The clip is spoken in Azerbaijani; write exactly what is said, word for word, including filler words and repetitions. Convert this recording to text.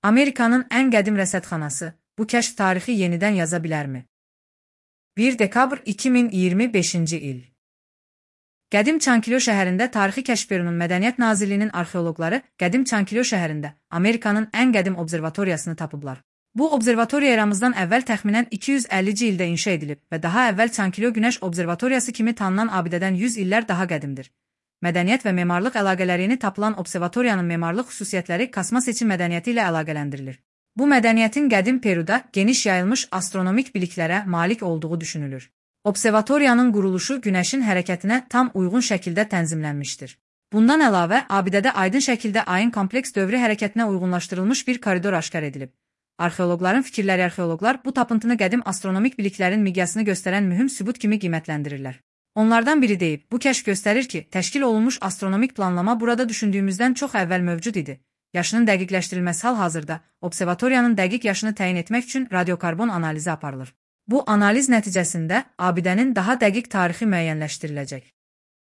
Amerikanın ən qədim rəsədxanası, bu kəşf tarixi yenidən yaza bilərmi? bir dekabr iki min iyirmi beşinci il. Qədim Çankilyo şəhərində Tarixi Kəşf Bürosunun Mədəniyyət Nazirliyinin arxeoloqları Qədim Çankilyo şəhərində Amerikanın ən qədim observatoriyasını tapıblar. Bu observatoriya eramızdan əvvəl təxminən iki yüz əllinci ildə inşa edilib və daha əvvəl Çankilyo Günəş Observatoriyası kimi tanınan abidədən yüz illər daha qədimdir. Mədəniyyət və memarlıq əlaqələrini tapılan observatoriyanın memarlıq xüsusiyyətləri Kasma seçim mədəniyyəti ilə əlaqələndirilir. Bu mədəniyyətin qədim Peruda geniş yayılmış astronomik biliklərə malik olduğu düşünülür. Observatoriyanın quruluşu Günəşin hərəkətinə tam uyğun şəkildə tənzimlənmişdir. Bundan əlavə, abidədə aydın şəkildə ayın kompleks dövrü hərəkətinə uyğunlaşdırılmış bir koridor aşkar edilib. Arxeoloqların fikirləri arxeoloqlar bu tapıntını qədim astronomik biliklərin miqyasını göstərən mühüm sübut kimi qiymətləndirirlər. Onlardan biri deyib, bu kəşf göstərir ki, təşkil olunmuş astronomik planlama burada düşündüyümüzdən çox əvvəl mövcud idi. Yaşının dəqiqləşdirilməsi hal-hazırda observatoriyanın dəqiq yaşını təyin etmək üçün radiokarbon analizi aparılır. Bu analiz nəticəsində abidənin daha dəqiq tarixi müəyyənləşdiriləcək.